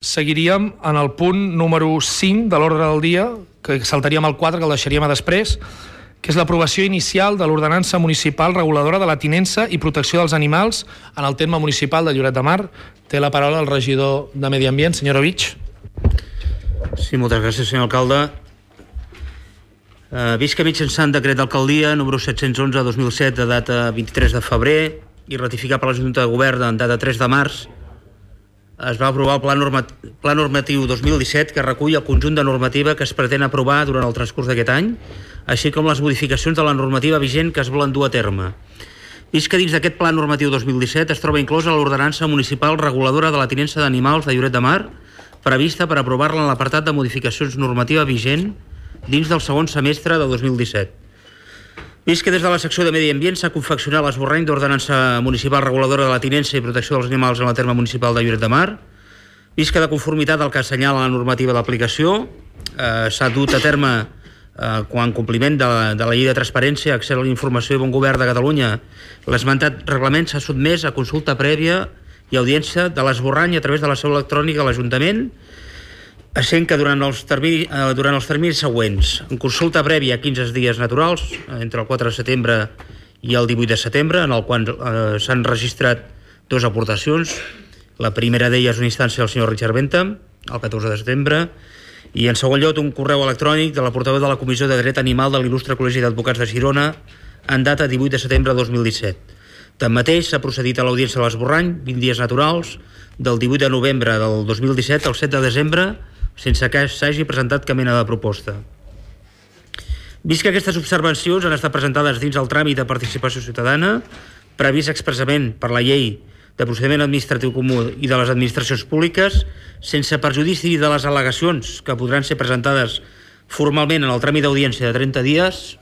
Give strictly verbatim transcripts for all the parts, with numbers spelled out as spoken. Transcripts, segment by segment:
Seguiríem en el punt número cinc de l'ordre del dia, que saltaríem al quatre, que el deixaríem a després, que és l'aprovació inicial de l'ordenança municipal reguladora de la tinença i protecció dels animals en el terme municipal de Lloret de Mar. Té la paraula el regidor de Medi Ambient, senyor Ovich. Sí, moltes gràcies, senyor alcalde. Uh, visca mitjançant decret d'alcaldia número set-cents onze dos mil set de data vint-i-tres de febrer i ratificat per la Junta de Govern en data tres de març, es va aprovar el Pla, normat Pla Normatiu dos mil disset, que recull el conjunt de normativa que es pretén aprovar durant el transcurs d'aquest any, així com les modificacions de la normativa vigent que es volen dur a terme. Vist que dins d'aquest Pla Normatiu dos mil disset es troba inclosa l'ordenança municipal reguladora de la tinença d'animals de Lloret de Mar, prevista per aprovar-la en l'apartat de modificacions normativa vigent dins del segon semestre de dos mil disset. Vist que des de la secció de Medi Ambient s'ha confeccionat l'esborrany d'ordenança municipal reguladora de la tinença i protecció dels animals en el terme municipal de Lloret de Mar, vist que de conformitat al que assenyala la normativa d'aplicació eh, s'ha dut a terme eh, quan compliment de la, de la llei de transparència, accés a la informació i bon govern de Catalunya, l'esmentat reglament s'ha sotmès a consulta prèvia i audiència de l'esborrany a través de la seu electrònica a l'Ajuntament, essent que durant els, termini, eh, durant els terminis següents, en consulta prèvia a quinze dies naturals, entre el quatre de setembre i el divuit de setembre, en el qual eh, s'han registrat dues aportacions. La primera d'elles una instància del senyor Richard Bentham, el catorze de setembre, i en segon lloc un correu electrònic de la portaveu de la Comissió de Dret Animal de l'il·lustre Col·legi d'Advocats de Girona en data divuit de setembre de dos mil disset. Tanmateix, s'ha procedit a l'audiència de l'esborrany, vint dies naturals, del divuit de novembre del dos mil disset al set de desembre, sense que s'hagi presentat cap mena de proposta. Vist que aquestes observacions han estat presentades dins el tràmit de participació ciutadana, previst expressament per la llei de procediment administratiu comú i de les administracions públiques, sense perjudici de les al·legacions que podran ser presentades formalment en el tràmit d'audiència de trenta dies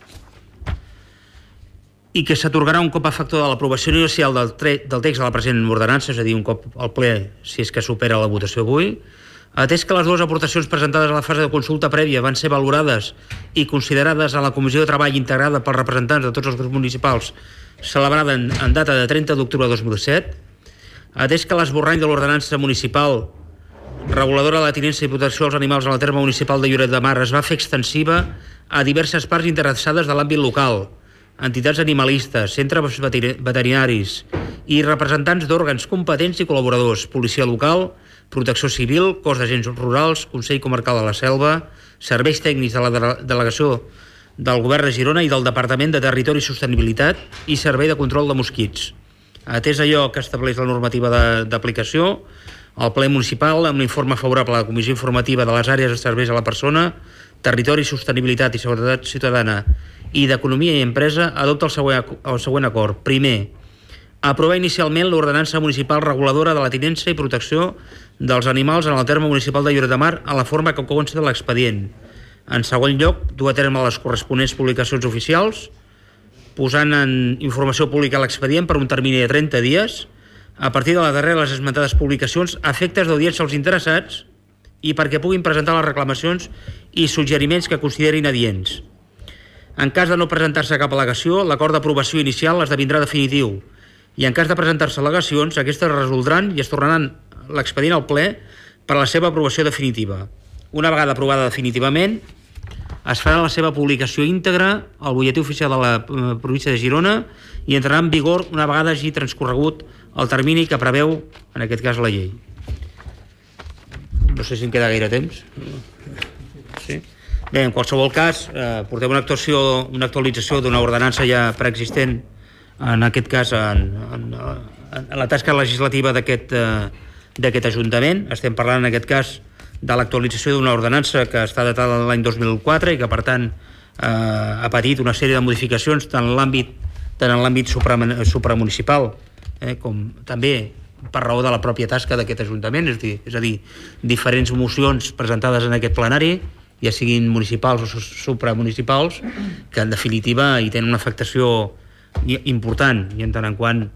i que s'atorgarà un cop a factor de l'aprovació inicial del, del text de la present ordenança, és a dir, un cop al ple si és que supera la votació avui. Atès que les dues aportacions presentades a la fase de consulta prèvia van ser valorades i considerades a la Comissió de Treball integrada pels representants de tots els grups municipals celebrada en, en data de trenta d'octubre de dos mil set, atès que l'esborrany de l'ordenança municipal reguladora de la tinença i protecció dels animals en el terme municipal de Lloret de Mar es va fer extensiva a diverses parts interessades de l'àmbit local, entitats animalistes, centres veterinaris i representants d'òrgans competents i col·laboradors, policia local, Protecció Civil, Cos d'Agents Rurals, Consell Comarcal de la Selva, serveis tècnics de la delegació del Govern de Girona i del Departament de Territori i Sostenibilitat i Servei de Control de Mosquits. Atès allò que estableix la normativa d'aplicació, el ple municipal, amb l'informe favorable a la Comissió Informativa de les àrees de serveis a la persona, Territori i Sostenibilitat i Seguretat Ciutadana i d'Economia i Empresa, adopta el següent, el següent acord. Primer, aprovar inicialment l'ordenança municipal reguladora de la tinença i protecció dels animals en el terme municipal de Lloret de Mar en la forma que consta de l'expedient. En segon lloc, dur a terme les corresponents publicacions oficials, posant en informació pública l'expedient per un termini de trenta dies, a partir de la darrera de les esmentades publicacions, a efectes d'audiència als interessats i perquè puguin presentar les reclamacions i suggeriments que considerin adients. En cas de no presentar-se cap al·legació, l'acord d'aprovació inicial esdevindrà definitiu i en cas de presentar-se al·legacions, aquestes es resoldran i es tornaran l'expedient al ple per a la seva aprovació definitiva. Una vegada aprovada definitivament, es farà la seva publicació íntegra al butlletí oficial de la província de Girona i entrarà en vigor una vegada hagi transcorregut el termini que preveu, en aquest cas, la llei. No sé si em queda gaire temps. Sí. Bé, en qualsevol cas, eh, portem una actuació, una actualització d'una ordenança ja preexistent, en aquest cas en, en, en la tasca legislativa d'aquest eh, d'aquest Ajuntament. Estem parlant en aquest cas de l'actualització d'una ordenança que està datada l'any dos mil quatre i que per tant eh, ha patit una sèrie de modificacions tant en l'àmbit tant en l'àmbit supramunicipal eh, com també per raó de la pròpia tasca d'aquest Ajuntament, és a dir, és a dir, diferents mocions presentades en aquest plenari, ja siguin municipals o supramunicipals, que en definitiva hi tenen una afectació important, i en tant en quant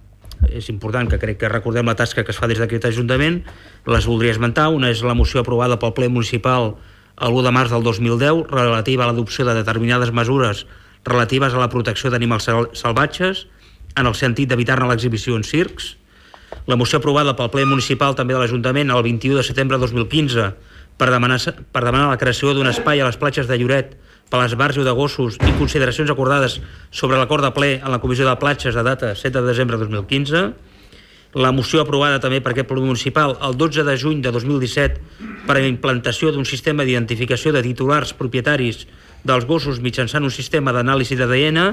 és important que crec que recordem la tasca que es fa des d'aquest Ajuntament, les voldria esmentar. Una és la moció aprovada pel ple municipal l'u de març del dos mil deu relativa a l'adopció de determinades mesures relatives a la protecció d'animals salvatges en el sentit d'evitar-ne l'exhibició en circs. La moció aprovada pel ple municipal també de l'Ajuntament el vint-i-u de setembre de dos mil quinze per demanar, per demanar la creació d'un espai a les platges de Lloret per a l'esbarjo de gossos i consideracions acordades sobre l'acord de ple en la Comissió de Platges de data set de desembre de dos mil quinze. La moció aprovada també per aquest ple municipal el dotze de juny de dos mil disset per a la implantació d'un sistema d'identificació de titulars propietaris dels gossos mitjançant un sistema d'anàlisi d'A D N,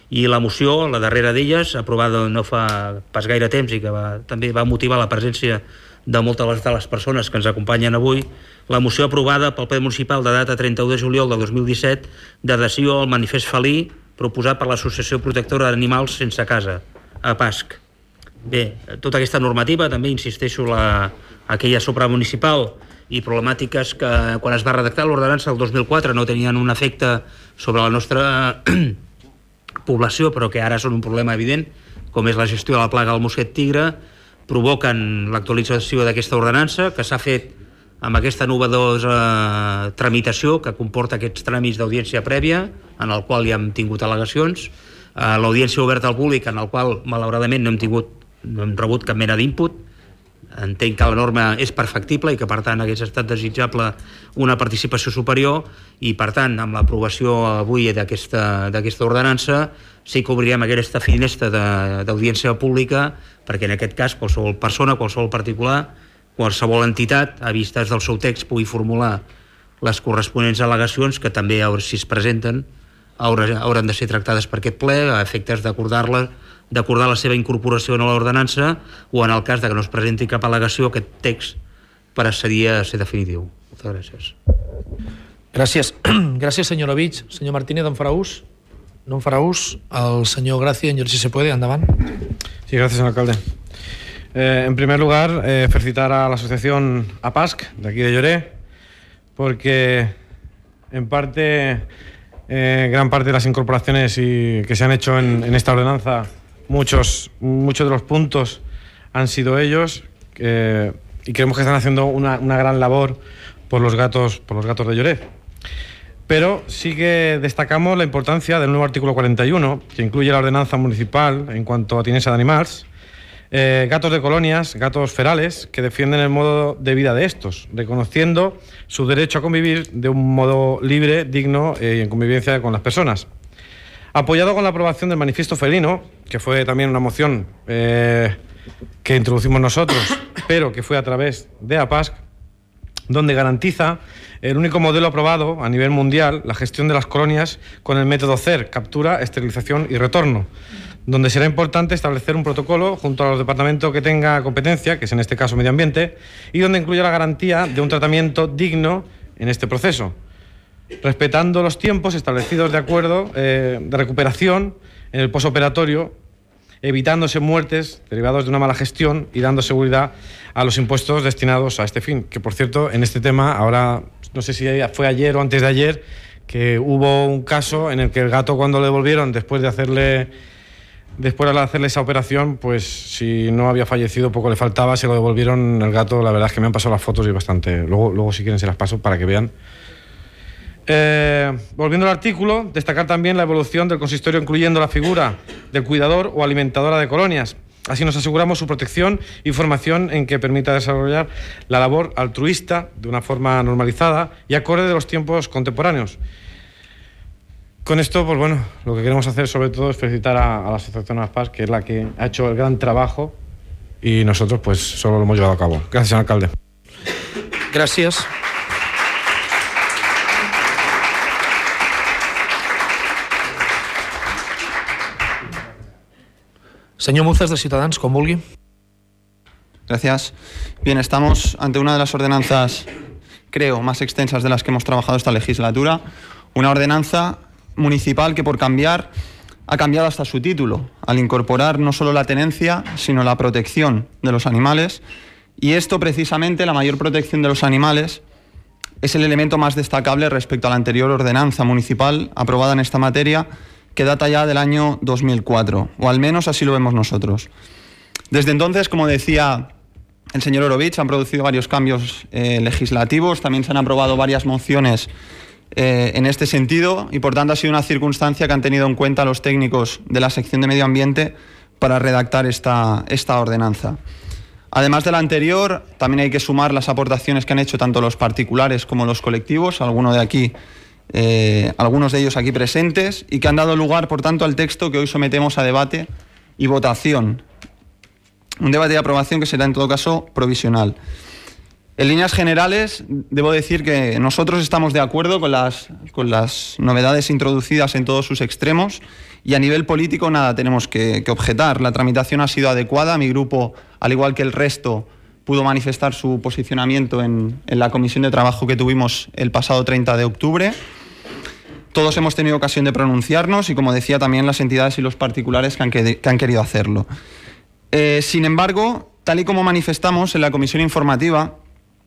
i la moció, la darrera d'elles, aprovada no fa pas gaire temps i que va, també va motivar la presència de moltes de les persones que ens acompanyen avui, la moció aprovada pel ple municipal de data trenta-u de juliol de dos mil disset d'adhesió al manifest felí proposat per l'Associació Protectora d'Animals Sense Casa, a P A S C. Bé, tota aquesta normativa, també insisteixo, la, aquella supramunicipal i problemàtiques que quan es va redactar l'ordenança del dos mil quatre no tenien un efecte sobre la nostra població, però que ara són un problema evident, com és la gestió de la plaga del mosquet tigre, provoquen l'actualització d'aquesta ordenança, que s'ha fet amb aquesta novedosa tramitació que comporta aquests tràmits d'audiència prèvia, en el qual ja hem tingut al·legacions, l'audiència oberta al públic, en el qual malauradament no hem tingut no hem rebut cap mena d'input. Entenc que la norma és perfectible i que per tant hagués estat desitjable una participació superior, i per tant amb l'aprovació avui d'aquesta d'aquesta ordenança sí que obrirem aquesta finestra d'audiència pública perquè en aquest cas qualsevol persona, qualsevol particular, qualsevol entitat a vistes del seu text pugui formular les corresponents al·legacions que també, si es presenten, hauran de ser tractades per aquest ple a efectes d'acordar-la d'acordar la seva incorporació en l'ordenança, o en el cas de que no es presenti cap al·legació, aquest text passaria a ser definitiu. Moltes gràcies. Gràcies. Gràcies, senyor Ovich. Senyor Martínez, en farà ús? No en farà ús. El senyor Gracia, en si se puede, endavant. Sí, gracias, señor alcalde. Eh, en primer lugar, eh, felicitar a la asociación A P A S C, de aquí de Lloret, porque en parte, eh, gran parte de las incorporaciones y, que se han hecho en, en esta ordenanza, Muchos, muchos de los puntos han sido ellos, eh, y creemos que están haciendo una, una gran labor por los gatos, por los gatos de Lloret. Pero sí que destacamos la importancia del nuevo artículo cuarenta y uno, que incluye la ordenanza municipal en cuanto a tinença d'animals, eh, gatos de colonias, gatos ferales, que defienden el modo de vida de estos, reconociendo su derecho a convivir de un modo libre, digno eh, y en convivencia con las personas. Apoyado con la aprobación del manifiesto felino, que fue también una moción eh, que introducimos nosotros, pero que fue a través de A P A S C, donde garantiza el único modelo aprobado a nivel mundial, la gestión de las colonias con el método C E R, captura, esterilización y retorno, donde será importante establecer un protocolo junto a los departamentos que tenga competencia, que es en este caso Medio Ambiente, y donde incluya la garantía de un tratamiento digno en este proceso, respetando los tiempos establecidos de acuerdo eh, de recuperación en el posoperatorio, evitándose muertes derivadas de una mala gestión y dando seguridad a los impuestos destinados a este fin. Que, por cierto, en este tema, ahora, no sé si fue ayer o antes de ayer, que hubo un caso en el que el gato, cuando lo devolvieron, después de hacerle después de hacerle esa operación, pues si no había fallecido, poco le faltaba, se lo devolvieron el gato. La verdad es que me han pasado las fotos y bastante. Luego, luego si quieren, se las paso para que vean. Eh, volviendo al artículo, destacar también la evolución del consistorio incluyendo la figura del cuidador o alimentadora de colonias. Así nos aseguramos su protección y formación en que permita desarrollar la labor altruista de una forma normalizada y acorde de los tiempos contemporáneos. Con esto, pues bueno, lo que queremos hacer sobre todo es felicitar a, a la Asociación A P A S, que es la que ha hecho el gran trabajo, y nosotros pues solo lo hemos llevado a cabo. Gracias, señor alcalde. Gracias. Señor Muzas, de Ciudadanos, con vulgui. Gracias. Bien, estamos ante una de las ordenanzas, creo, más extensas de las que hemos trabajado esta legislatura. Una ordenanza municipal que, por cambiar, ha cambiado hasta su título, al incorporar no solo la tenencia, sino la protección de los animales. Y esto, precisamente, la mayor protección de los animales, es el elemento más destacable respecto a la anterior ordenanza municipal aprobada en esta materia, que data ya del año dos mil cuatro, o al menos así lo vemos nosotros. Desde entonces, como decía el señor Orovich, han producido varios cambios eh, legislativos, también se han aprobado varias mociones eh, en este sentido, y por tanto ha sido una circunstancia que han tenido en cuenta los técnicos de la sección de Medio Ambiente para redactar esta, esta ordenanza. Además de la anterior, también hay que sumar las aportaciones que han hecho tanto los particulares como los colectivos, algunos de aquí, eh, algunos de ellos aquí presentes, y que han dado lugar, por tanto, al texto que hoy sometemos a debate y votación. Un debate de aprobación que será, en todo caso, provisional. En líneas generales, debo decir que nosotros estamos de acuerdo con las, con las novedades introducidas en todos sus extremos, y a nivel político nada tenemos que, que objetar. La tramitación ha sido adecuada. Mi grupo, al igual que el resto, pudo manifestar su posicionamiento en, en la comisión de trabajo que tuvimos el pasado treinta de octubre. Todos hemos tenido ocasión de pronunciarnos y, como decía, también las entidades y los particulares que han, que, que han querido hacerlo. Eh, sin embargo, tal y como manifestamos en la comisión informativa,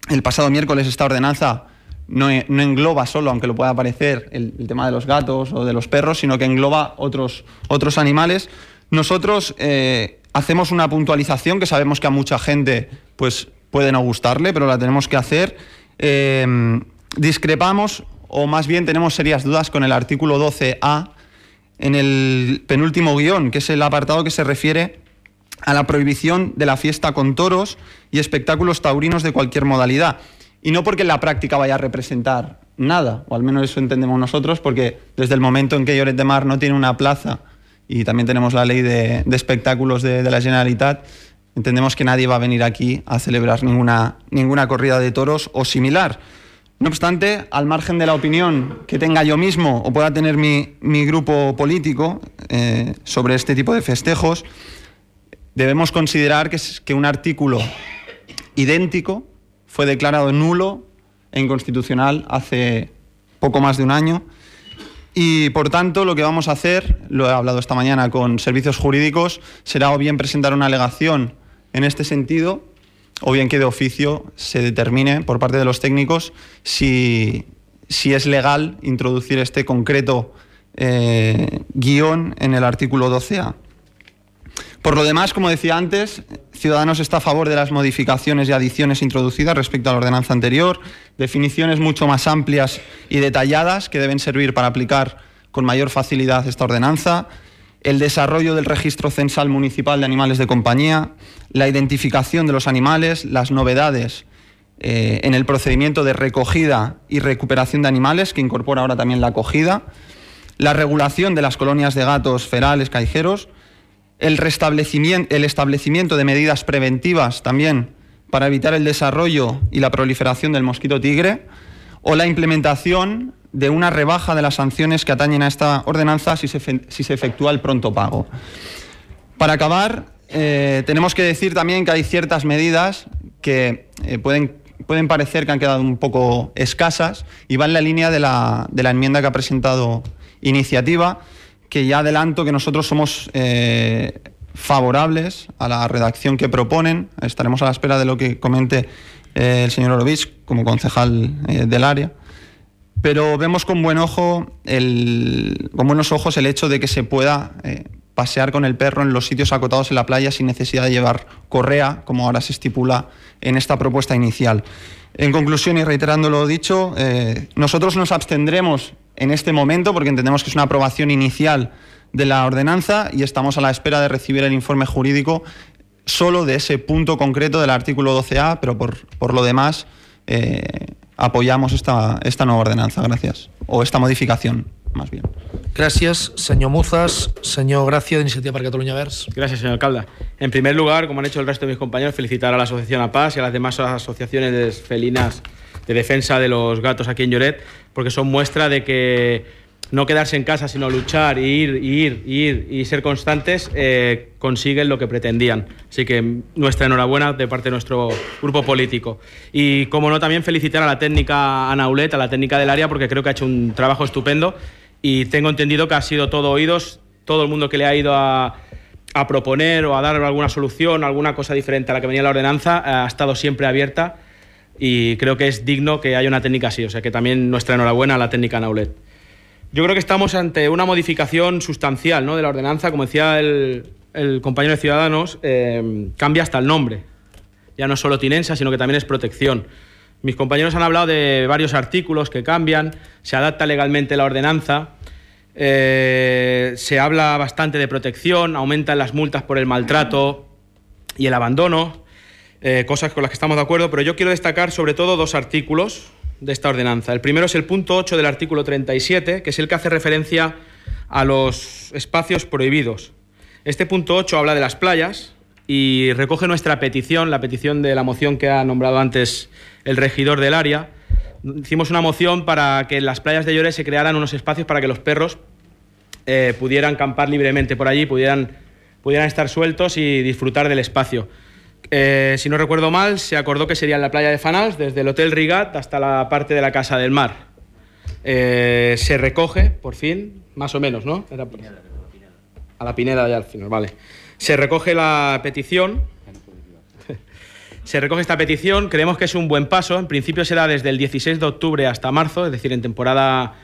el pasado miércoles, esta ordenanza no, no engloba solo, aunque lo pueda parecer, el, el tema de los gatos o de los perros, sino que engloba otros, otros animales. Nosotros eh, hacemos una puntualización que sabemos que a mucha gente pues, puede no gustarle, pero la tenemos que hacer. Eh, discrepamos, o más bien tenemos serias dudas con el artículo doce A, en el penúltimo guión, que es el apartado que se refiere a la prohibición de la fiesta con toros y espectáculos taurinos de cualquier modalidad. Y no porque en la práctica vaya a representar nada, o al menos eso entendemos nosotros, porque desde el momento en que Lloret de Mar no tiene una plaza, y también tenemos la ley de, de espectáculos de, de la Generalitat, entendemos que nadie va a venir aquí a celebrar ninguna, ninguna corrida de toros o similar. No obstante, al margen de la opinión que tenga yo mismo o pueda tener mi, mi grupo político eh, sobre este tipo de festejos, debemos considerar que, que un artículo idéntico fue declarado nulo e inconstitucional hace poco más de un año, y por tanto lo que vamos a hacer, lo he hablado esta mañana con servicios jurídicos, será o bien presentar una alegación en este sentido, o bien que de oficio se determine por parte de los técnicos si, si es legal introducir este concreto eh, guión en el artículo doce A. Por lo demás, como decía antes, Ciudadanos está a favor de las modificaciones y adiciones introducidas respecto a la ordenanza anterior, definiciones mucho más amplias y detalladas que deben servir para aplicar con mayor facilidad esta ordenanza, el desarrollo del registro censal municipal de animales de compañía, la identificación de los animales, las novedades eh, en el procedimiento de recogida y recuperación de animales, que incorpora ahora también la acogida, la regulación de las colonias de gatos ferales callejeros, el restablecimiento, el establecimiento de medidas preventivas también para evitar el desarrollo y la proliferación del mosquito tigre, o la implementación de una rebaja de las sanciones que atañen a esta ordenanza si se, si se efectúa el pronto pago. Para acabar, eh, tenemos que decir también que hay ciertas medidas que eh, pueden, pueden parecer que han quedado un poco escasas y van en la línea de la, de la enmienda que ha presentado Iniciativa, que ya adelanto que nosotros somos eh, favorables a la redacción que proponen. Estaremos a la espera de lo que comente eh, el señor Orovich como concejal eh, del área, pero vemos con buen ojo el, con buenos ojos el hecho de que se pueda eh, pasear con el perro en los sitios acotados en la playa sin necesidad de llevar correa, como ahora se estipula en esta propuesta inicial. En conclusión, y reiterando lo dicho, eh, nosotros nos abstendremos en este momento porque entendemos que es una aprobación inicial de la ordenanza y estamos a la espera de recibir el informe jurídico solo de ese punto concreto del artículo doce A, pero por, por lo demás eh, apoyamos esta, esta nueva ordenanza. Gracias. O esta modificación, más bien. Gràcies, senyor Muzas. Senyor Gracia, d'Iniciativa per Catalunya Verds. Gracias, señor alcalde. En primer lugar, como han hecho el resto de mis compañeros, felicitar a la Asociación A Paz y a las demás asociaciones felinas de defensa de los gatos aquí en Lloret, porque son muestra de que no quedarse en casa, sino luchar, ir, ir, ir y ser constantes, eh, consiguen lo que pretendían. Así que nuestra enhorabuena de parte de nuestro grupo político. Y, como no, también felicitar a la técnica Ana Aulet, a la técnica del área, porque creo que ha hecho un trabajo estupendo y tengo entendido que ha sido todo oídos, todo el mundo que le ha ido a, a proponer o a dar alguna solución, alguna cosa diferente a la que venía la ordenanza, ha estado siempre abierta y creo que es digno que haya una técnica así. O sea que también nuestra enhorabuena a la técnica Ana Aulet. Yo creo que estamos ante una modificación sustancial, ¿no?, de la ordenanza. Como decía el, el compañero de Ciudadanos, eh, cambia hasta el nombre. Ya no es solo tinensa, sino que también es protección. Mis compañeros han hablado de varios artículos que cambian, se adapta legalmente la ordenanza. Eh, se habla bastante de protección, aumentan las multas por el maltrato y el abandono, eh, cosas con las que estamos de acuerdo, pero yo quiero destacar sobre todo dos artículos de esta ordenanza. El primero es el punto ocho del artículo treinta y siete, que es el que hace referencia a los espacios prohibidos. Este punto ocho habla de las playas y recoge nuestra petición, la petición de la moción que ha nombrado antes el regidor del área. Hicimos una moción para que en las playas de Lloret se crearan unos espacios para que los perros eh, pudieran campar libremente por allí, pudieran, pudieran estar sueltos y disfrutar del espacio. Eh, si no recuerdo mal, se acordó que sería en la playa de Fanals, desde el Hotel Rigat hasta la parte de la Casa del Mar. Eh, se recoge, por fin, más o menos, ¿no? Era por... A la Pineda ya al final, vale. Se recoge la petición... Se recoge esta petición, creemos que es un buen paso. En principio será desde el dieciséis de octubre hasta marzo, es decir, en temporada,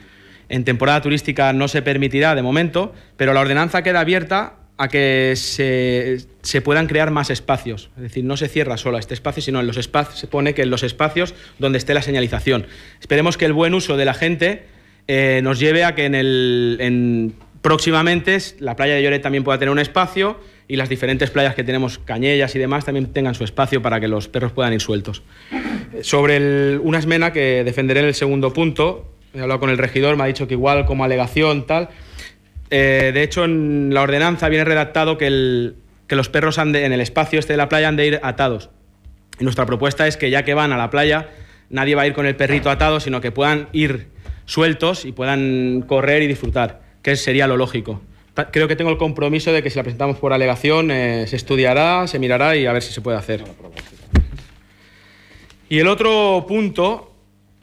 en temporada turística no se permitirá de momento, pero la ordenanza queda abierta a que se, se puedan crear más espacios. Es decir, no se cierra solo este espacio, sino en los espacios, se pone que en los espacios donde esté la señalización. Esperemos que el buen uso de la gente eh, nos lleve a que en el, en, próximamente la playa de Lloret también pueda tener un espacio, y las diferentes playas que tenemos, Cañellas y demás, también tengan su espacio para que los perros puedan ir sueltos. Sobre el, una esmena que defenderé en el segundo punto, he hablado con el regidor, me ha dicho que igual como alegación, tal. Eh, de hecho, en la ordenanza viene redactado que, el, que los perros han de, en el espacio este de la playa han de ir atados. Y nuestra propuesta es que ya que van a la playa, nadie va a ir con el perrito atado, sino que puedan ir sueltos y puedan correr y disfrutar, que sería lo lógico. Creo que tengo el compromiso de que si la presentamos por alegación eh, se estudiará, se mirará y a ver si se puede hacer. Y el otro punto,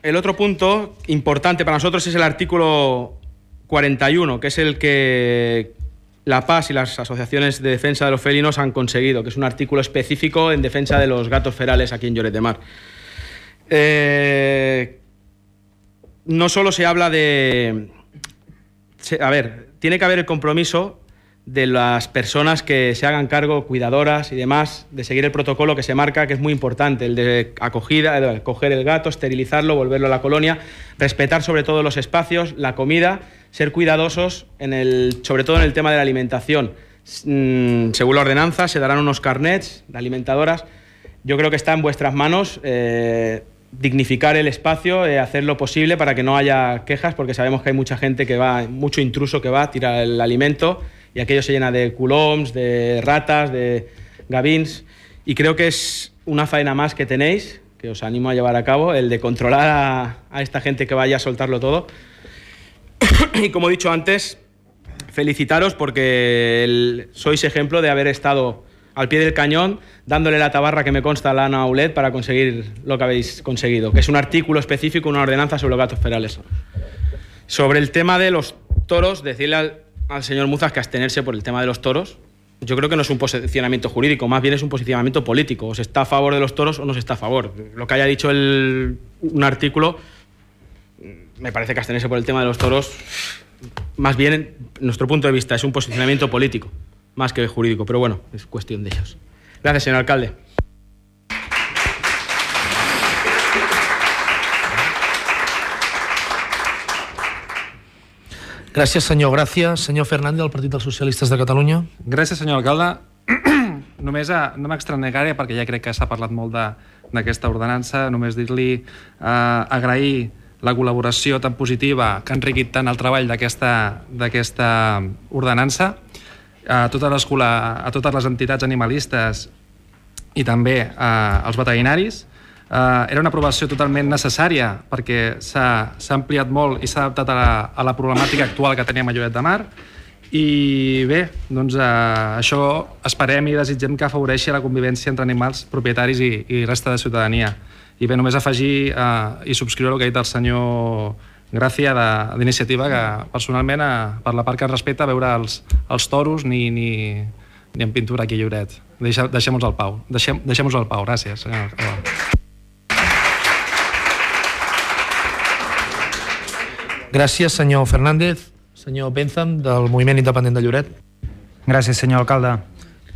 el otro punto importante para nosotros es el artículo cuarenta y uno, que es el que la P A S y las asociaciones de defensa de los felinos han conseguido, que es un artículo específico en defensa de los gatos ferales aquí en Lloret de Mar. Eh, no solo se habla de... Se, a ver... Tiene que haber el compromiso de las personas que se hagan cargo, cuidadoras y demás, de seguir el protocolo que se marca, que es muy importante, el de acogida, el de coger el gato, esterilizarlo, volverlo a la colonia, respetar sobre todo los espacios, la comida, ser cuidadosos, en el, sobre todo en el tema de la alimentación. Según la ordenanza, se darán unos carnets de alimentadoras. Yo creo que está en vuestras manos eh, dignificar el espacio, eh, hacer lo posible para que no haya quejas, porque sabemos que hay mucha gente que va, mucho intruso que va, tira el alimento y aquello se llena de culoms, de ratas, de gavins, y creo que es una faena más que tenéis, que os animo a llevar a cabo, el de controlar a, a esta gente que vaya a soltarlo todo. Y como he dicho antes, felicitaros porque el, sois ejemplo de haber estado al pie del cañón, dándole la tabarra que me consta a la Ana Aulet para conseguir lo que habéis conseguido, que es un artículo específico, una ordenanza sobre los gatos ferales. Sobre el tema de los toros, decirle al, al señor Muzas que abstenerse por el tema de los toros. Yo creo que no es un posicionamiento jurídico, más bien es un posicionamiento político. O se está a favor de los toros o no se está a favor. Lo que haya dicho el, un artículo, me parece que abstenerse por el tema de los toros, más bien, en nuestro punto de vista, es un posicionamiento político, más que jurídico, pero bueno, es cuestión de ellos. Gracias, señor alcalde. Gràcies, senyor Gràcia. Senyor Fernández, del Partit dels Socialistes de Catalunya. Gràcies, senyor alcalde. Només a, no m'extranegaré, perquè ja crec que s'ha parlat molt d'aquesta ordenança, només dir-li, eh, agrair la col·laboració tan positiva que ha enriquit tant el treball d'aquesta ordenança, a totes, les, a totes les entitats animalistes i també eh, als veterinaris. Uh, era una aprovació totalment necessària perquè s'ha ampliat molt i s'ha adaptat a la, a la problemàtica actual que teníem a Lloret de Mar, i bé, doncs uh, això esperem i desitgem que afavoreixi la convivència entre animals propietaris i, i resta de ciutadania. I bé, només afegir uh, i subscriure el que ha dit el senyor Gràcia d'Iniciativa, que personalment uh, per la part que es respecta veure els, els toros ni, ni, ni en pintura aquí a Lloret. Deixem, deixem-nos al pau. Deixem, deixem-nos al pau. Gràcies, senyor alcalde. Gràcies, senyor Fernández. Senyor Bentham, del Moviment Independent de Lloret. Gràcies, senyor alcalde.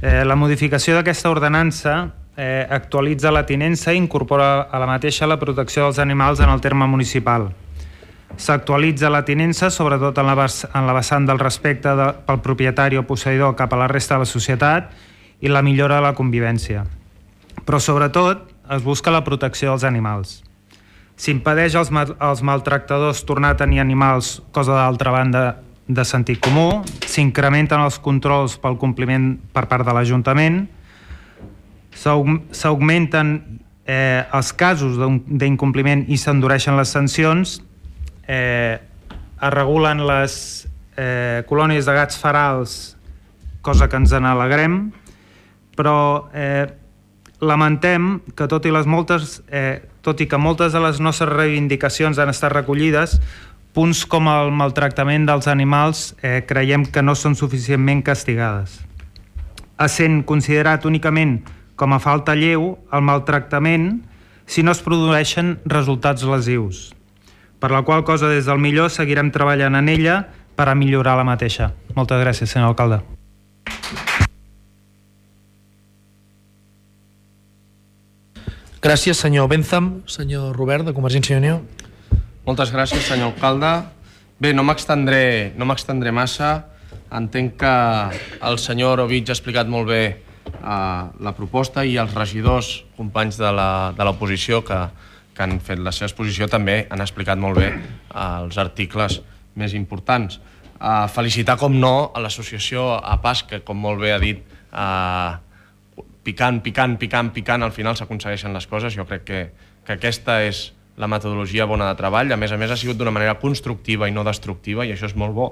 Eh, la modificació d'aquesta ordenança eh, actualitza la tinença i incorpora a la mateixa la protecció dels animals en el terme municipal. S'actualitza la tinença, sobretot en la, en la vessant del respecte de, pel propietari o posseïdor cap a la resta de la societat i la millora de la convivència. Però sobretot es busca la protecció dels animals. S'impedeix als, als maltractadors tornar a tenir animals, cosa d'altra banda de sentit comú, s'incrementen els controls pel compliment per part de l'Ajuntament, s'augmenten eh, els casos d'incompliment i s'endureixen les sancions, eh, es regulen les eh, colònies de gats ferals, cosa que ens n'alegrem, però eh, lamentem que tot i, les moltes, eh, tot i que moltes de les nostres reivindicacions han estat recollides, punts com el maltractament dels animals eh, creiem que no són suficientment castigades. Essent considerat únicament com a falta lleu, el maltractament si no es produeixen resultats lesius. Per la qual cosa, des del millor, seguirem treballant en ella per a millorar la mateixa. Moltes gràcies, senyor alcalde. Gràcies, senyor Bentham. Senyor Robert, de Convergència i Unió. Moltes gràcies, senyor alcalde. Bé, no m'extendré no m'extendré massa. Entenc que el senyor Orovich ha explicat molt bé uh, la proposta i els regidors, companys de l'oposició que, que han fet la seva exposició, també han explicat molt bé uh, els articles més importants. Uh, felicitar, com no, a l'associació A P A S, que, com molt bé ha dit, uh, picant, picant, picant, picant, al final s'aconsegueixen les coses. Jo crec que, que aquesta és la metodologia bona de treball. A més a més, ha sigut d'una manera constructiva i no destructiva, i això és molt bo.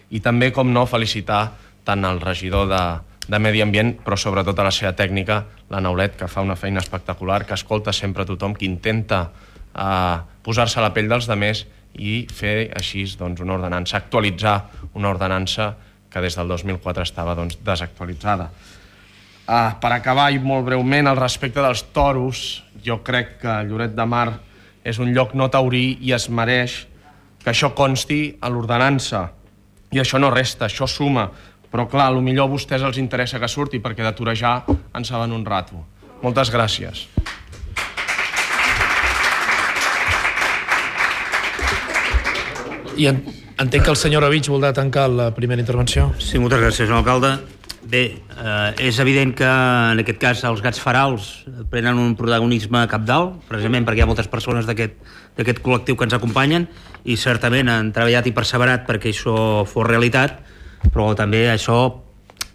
I també, com no, felicitar tant el regidor de, de Medi Ambient, però sobretot a la seva tècnica, la Naulet, que fa una feina espectacular, que escolta sempre tothom, que intenta eh, posar-se a la pell dels demés i fer així doncs, una ordenança, actualitzar una ordenança que des del dos mil quatre estava doncs, desactualitzada. Uh, per acabar, i molt breument, al respecte dels toros, jo crec que Lloret de Mar és un lloc no taurí i es mereix que això consti a l'ordenança. I això no resta, això suma. Però clar, potser a vostès els interessa que surti, perquè de torejar en saben un rato. Moltes gràcies. I en, entenc que el senyor Orovich voldrà tancar la primera intervenció. Sí, moltes gràcies, senyor alcalde. Bé, eh, és evident que en aquest cas els gats ferals prenen un protagonisme cabdal, precisament perquè hi ha moltes persones d'aquest col·lectiu que ens acompanyen i certament han treballat i perseverat perquè això fos realitat, però també això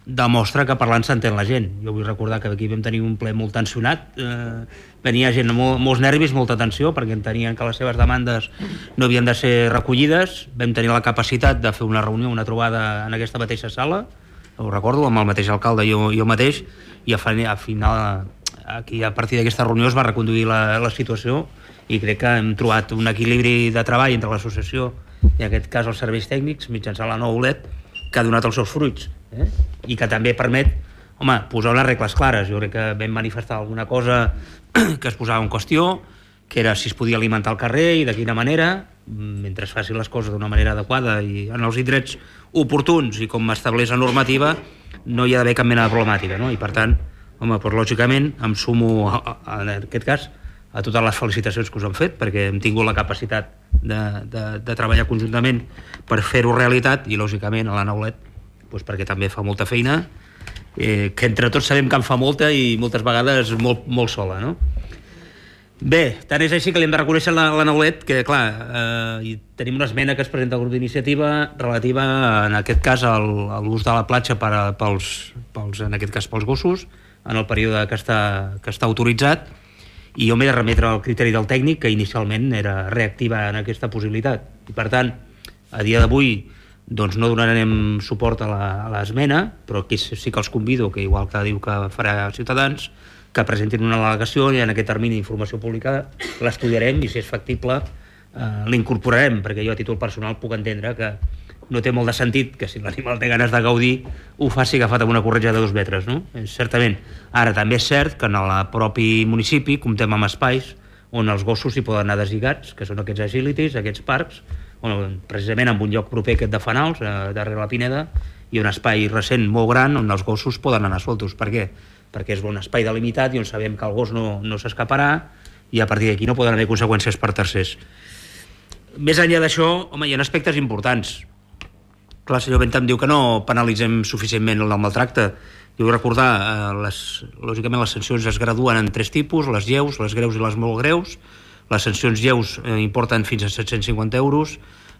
demostra que parlant s'entén la gent. Jo vull recordar que aquí vam tenir un ple molt tensionat, eh, venia gent amb molts nervis, molta tensió, perquè entenien que les seves demandes no havien de ser recollides. Vam tenir la capacitat de fer una reunió, una trobada en aquesta mateixa sala, ho recordo, amb el mateix alcalde i jo, jo mateix, i a final, aquí, a partir d'aquesta reunió es va reconduir la, la situació i crec que hem trobat un equilibri de treball entre l'associació i en aquest cas els serveis tècnics mitjançant la nova O L E D que ha donat els seus fruits, eh? I que també permet, home, posar unes regles clares. Jo crec que vam manifestar alguna cosa que es posava en qüestió, que era si es podia alimentar al carrer i de quina manera, mentre es facin les coses d'una manera adequada i en els indrets oportuns i com estableix la normativa, no hi ha d'haver cap mena de problemàtica, no? I per tant, home, doncs, lògicament em sumo a, a, en aquest cas a totes les felicitacions que us han fet, perquè hem tingut la capacitat de, de, de treballar conjuntament per fer-ho realitat, i lògicament a la Naulet doncs, perquè també fa molta feina, eh, que entre tots sabem que en fa molta i moltes vegades molt, molt sola, no? Bé, tant és així que li hem de reconèixer la, la Naulet que, clar, eh, tenim una esmena que es presenta al grup d'iniciativa relativa, en aquest cas, a l'ús de la platja per a, pels, pels, en aquest cas pels gossos, en el període que està, que està autoritzat, i jo m'he de remetre al criteri del tècnic, que inicialment era reactiva en aquesta possibilitat. I, per tant, a dia d'avui doncs no donarem suport a l'esmena, però aquí sí que els convido, que igual que diu que farà Ciutadans, que presentin una al·legació i en aquest termini d'informació pública l'estudiarem i si és factible eh, l'incorporarem, perquè jo a títol personal puc entendre que no té molt de sentit que si l'animal té ganes de gaudir ho faci agafat amb una corretja de dos metres, no? Certament. Ara també és cert que en el propi municipi comptem amb espais on els gossos hi poden anar deslligats, que són aquests agilities, aquests parcs, on, precisament en un lloc proper aquest de Fanals, eh, darrere la Pineda, i un espai recent molt gran on els gossos poden anar soltos. Per què? Perquè és un espai delimitat i on sabem que el gos no, no s'escaparà i a partir d'aquí no poden haver conseqüències per tercers. més enllà d'això, home, hi ha aspectes importants. Clar, el senyor Bentham diu que no penalitzem suficientment el maltracte. Jo vull recordar, eh, les, lògicament les sancions es graduen en tres tipus, les lleus, les greus i les molt greus. Les sancions lleus eh, importen fins a set-cents cinquanta euros,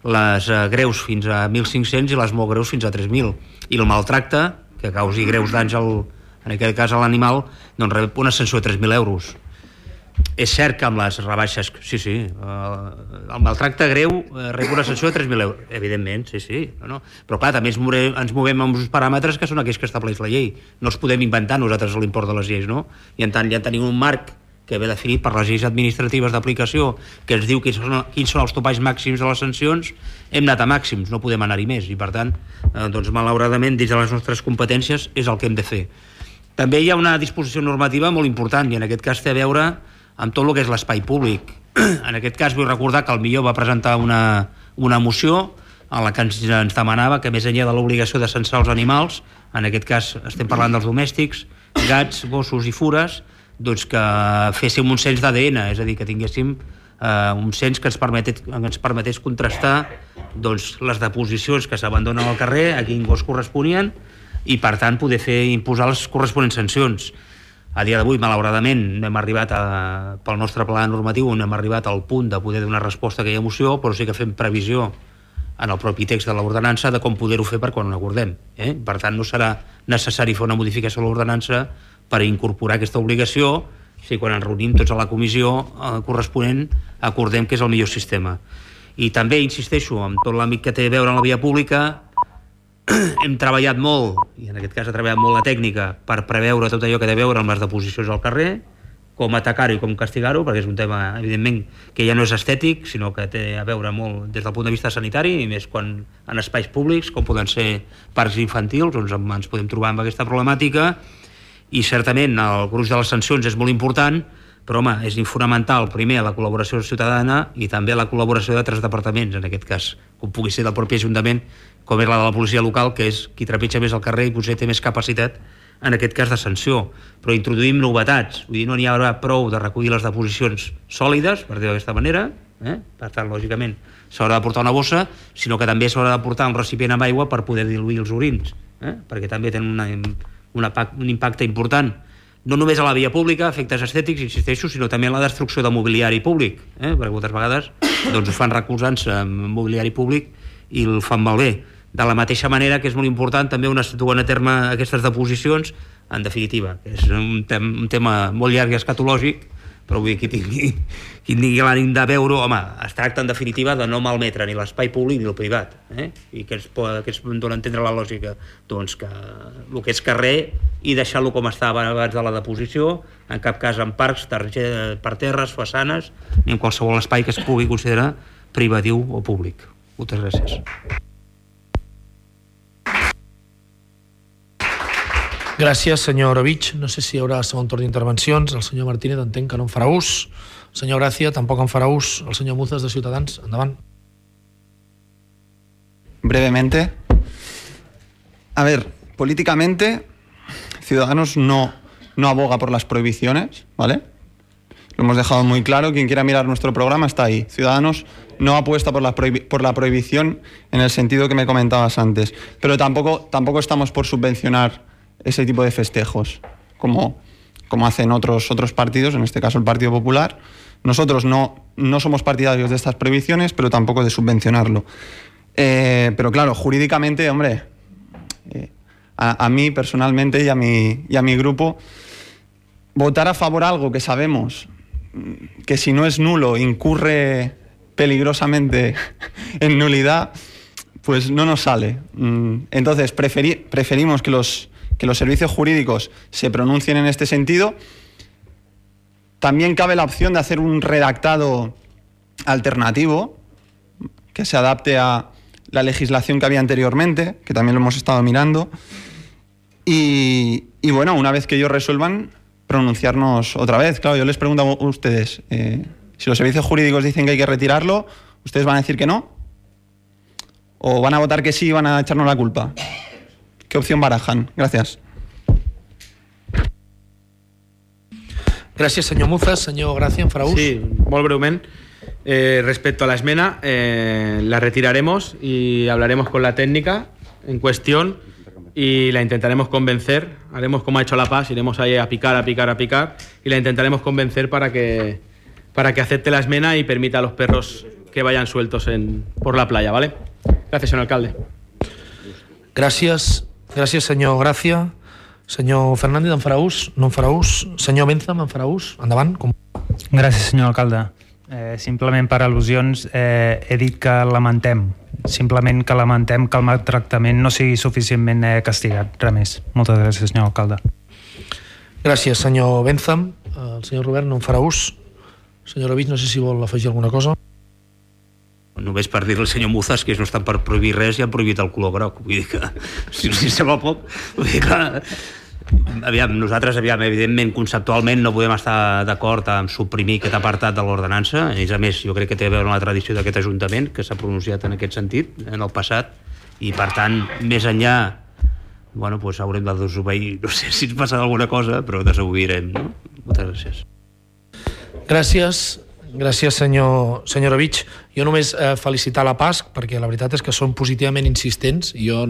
les eh, greus fins a mil cinc-cents i les molt greus fins a tres mil. I el maltracte, que causi greus danys al, en aquest cas a l'animal, doncs rep una sanció de tres mil euros. És cert que amb les rebaixes, sí, sí, eh, el maltracte greu eh, rep una sanció de tres mil euros, evidentment, sí, sí, no, no. Però clar, també ens movem, ens movem amb uns paràmetres que són aquells que estableix la llei. No els podem inventar nosaltres l'import de les lleis, no? I en tant ja tenim un marc que ve definit per les lleis administratives d'aplicació, que ens diu quins són, quins són els topalls màxims de les sancions, hem anat a màxims, no podem anar-hi més, i per tant, eh, doncs, malauradament, dins de les nostres competències és el que hem de fer. També hi ha una disposició normativa molt important, i en aquest cas té a veure amb tot el que és l'espai públic. En aquest cas vull recordar que el Millor va presentar una, una moció en la que ens, ens demanava que més enllà de l'obligació de censar els animals, en aquest cas estem parlant dels domèstics, gats, gossos i fures, doncs que féssim un cens d'A D N, és a dir, que tinguéssim eh, un cens que ens permetés, que ens permetés contrastar doncs, les deposicions que s'abandonen al carrer, a quin gos corresponien, i per tant poder fer imposar les corresponents sancions. A dia d'avui, malauradament, no hem arribat a, pel nostre pla normatiu, no hem arribat al punt de poder donar resposta a aquella moció, però sí que fem previsió en el propi text de l'ordenança de com poder-ho fer per quan ho acordem. Eh? Per tant, no serà necessari fer una modificació a l'ordenança per incorporar aquesta obligació si quan ens reunim tots a la comissió eh, corresponent acordem que és el millor sistema. I també insisteixo en tot l'àmbit que té a veure amb la via pública. Hem treballat molt, i en aquest cas ha treballat molt la tècnica, per preveure tot allò que té a veure amb les deposicions al carrer, com atacar-ho i com castigar-ho, perquè és un tema, evidentment, que ja no és estètic, sinó que té a veure molt des del punt de vista sanitari, i més quan en espais públics, com poden ser parcs infantils, on ens podem trobar amb aquesta problemàtica. I certament el gruix de les sancions és molt important, però home, és fonamental primer la col·laboració ciutadana i també la col·laboració d'altres departaments, en aquest cas, com pugui ser del propi Ajuntament, com és la de la policia local, que és qui trepitja més el carrer i potser té més capacitat en aquest cas de sanció. Però introduïm novetats, vull dir, no n'hi haurà prou de recollir les deposicions sòlides, per dir-ho d'aquesta manera, eh? Per tant, lògicament, s'haurà de portar una bossa, sinó que també s'haurà de portar un recipient amb aigua per poder diluir els orins, eh? Perquè també tenen una, una, un impacte important, no només a la via pública, efectes estètics, insisteixo, sinó també en la destrucció de mobiliari públic, eh? Perquè moltes vegades doncs, ho fan recolzant-se en mobiliari públic i el fan malbé. De la mateixa manera que és molt important també on es duen a terme aquestes deposicions, en definitiva, és un, tem un tema molt llarg i escatològic, però vull dir, qui tingui, qui tingui l'ànim de veure, home, es tracta en definitiva de no malmetre ni l'espai públic ni el privat, eh? I que ens, que ens dona a entendre la lògica, doncs que el que és carrer i deixar-lo com estava abans de la deposició, en cap cas en parcs, per terres, façanes, ni en qualsevol espai que es pugui considerar privatiu o públic. Moltes gràcies. Gràcies, senyor Orovich. No sé si hi haurà segon torn d'intervencions. El senyor Martínez entenc que no en farà ús. El senyor Gràcia tampoc en farà ús. El senyor Muzas de Ciutadans, endavant. Brevemente. A ver, políticamente, Ciudadanos no, no aboga por las prohibiciones, ¿vale? Lo hemos dejado muy claro. Quien quiera mirar nuestro programa está ahí. Ciudadanos no apuesta por la, prohibi- por la prohibición en el sentido que me comentabas antes. Pero tampoco, tampoco estamos por subvencionar ese tipo de festejos, como, como hacen otros, otros partidos, en este caso el Partido Popular. Nosotros no, no somos partidarios de estas prohibiciones, pero tampoco de subvencionarlo. Eh, pero claro, jurídicamente, hombre, eh, a, a mí personalmente y a, mi, y a mi grupo, votar a favor algo que sabemos que si no es nulo incurre peligrosamente en nulidad, pues no nos sale. Entonces preferi- preferimos que los que los servicios jurídicos se pronuncien en este sentido. También cabe la opción de hacer un redactado alternativo que se adapte a la legislación que había anteriormente, que también lo hemos estado mirando. Y, y bueno, una vez que ellos resuelvan, pronunciarnos otra vez. Claro, yo les pregunto a ustedes, eh, si los servicios jurídicos dicen que hay que retirarlo, ¿ustedes van a decir que no? ¿O van a votar que sí y van a echarnos la culpa? ¿Qué opción barajan? Gràcies. Gràcies, senyor Muzas. Senyor Gràcia, en farà ús? Sí, molt breument. Eh, respecto a la esmena, eh, la retiraremos y hablaremos con la técnica en cuestión y la intentaremos convencer. Haremos como ha hecho La Paz, iremos ahí a picar, a picar, a picar y la intentaremos convencer para que, para que acepte la esmena y permita a los perros que vayan sueltos en, por la playa, ¿vale? Gracias, señor alcalde. Gràcies, gràcies senyor Gràcia. Senyor Fernández, en farà ús? No en farà ús? Senyor Benzam, en farà ús? Endavant. Com... Gràcies, senyor alcalde. Eh, simplement per al·lusions eh, he dit que lamentem, simplement que lamentem que el maltractament no sigui suficientment eh, castigat, res més. Moltes gràcies, senyor alcalde. Gràcies, senyor Benzam. El senyor Robert no en farà ús. Senyor Ovich, no sé si vol afegir alguna cosa. Només per dir-li al senyor Muzas que ells no estan per prohibir res i han prohibit el color groc. Vull dir que, si els sembla poc, vull dir que... Aviam, nosaltres, aviam, evidentment, conceptualment no podem estar d'acord amb suprimir aquest apartat de l'ordenança. A més a més, jo crec que té a veure amb la tradició d'aquest Ajuntament, que s'ha pronunciat en aquest sentit, en el passat, i per tant, més enllà, bueno, doncs haurem de desobeir, no sé si ens passa alguna cosa, però desobeirem, no? Moltes gràcies. Gràcies. Gràcies, senyor, senyor Ovich. Jo només eh, felicitar la P A S C, perquè la veritat és que són positivament insistents. Jo,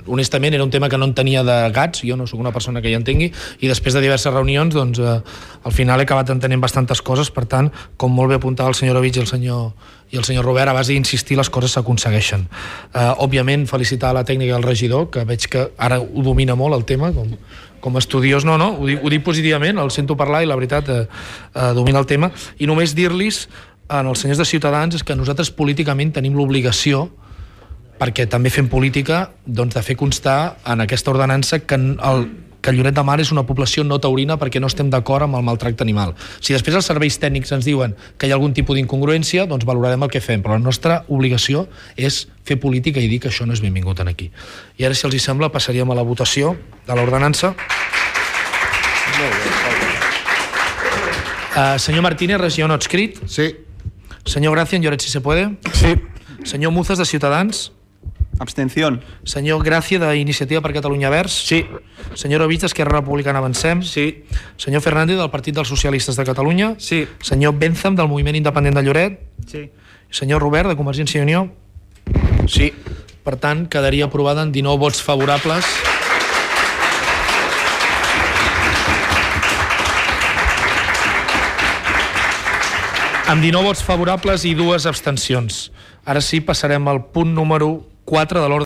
honestament, era un tema que no en tenia de gats, jo no sóc una persona que hi entengui, i després de diverses reunions, doncs, eh, al final he acabat entenent bastantes coses. Per tant, com molt bé apuntava el senyor Ovich i el senyor, i el senyor Robert, a base d'insistir les coses s'aconsegueixen. Eh, òbviament, felicitar la tècnica del regidor, que veig que ara ho domina molt el tema, com, com a estudiós, no, no, ho dic, ho dic positivament, el sento parlar i la veritat eh, eh, domina el tema. I només dir-los als senyors de Ciutadans és que nosaltres políticament tenim l'obligació, perquè també fem política, doncs de fer constar en aquesta ordenança que, el, que Lloret de Mar és una població no taurina perquè no estem d'acord amb el maltracte animal. Si després els serveis tècnics ens diuen que hi ha algun tipus d'incongruència, doncs valorarem el que fem, però la nostra obligació és fer política i dir que això no és benvingut aquí. I ara, si els hi sembla, passaríem a la votació de l'ordenança. Uh, senyor Martínez, regidor no adscrit. Sí. Senyor Gracia, en Lloret, si se puede. Sí. Senyor Muzas, de Ciutadans. Abstención. Senyor Gràcia, d'Iniciativa per Catalunya Verds. Sí. Senyor Ovich, d'Esquerra Republicana Avancem. Sí. Senyor Fernández, del Partit dels Socialistes de Catalunya. Sí. Senyor Benzam, del Moviment Independent de Lloret. Sí. Senyor Robert, de Convergència i Unió. Sí. Per tant, quedaria aprovada en dinou vots favorables. Amb dinou vots favorables i dues abstencions. Ara sí, passarem al punt número quatre de l'ordre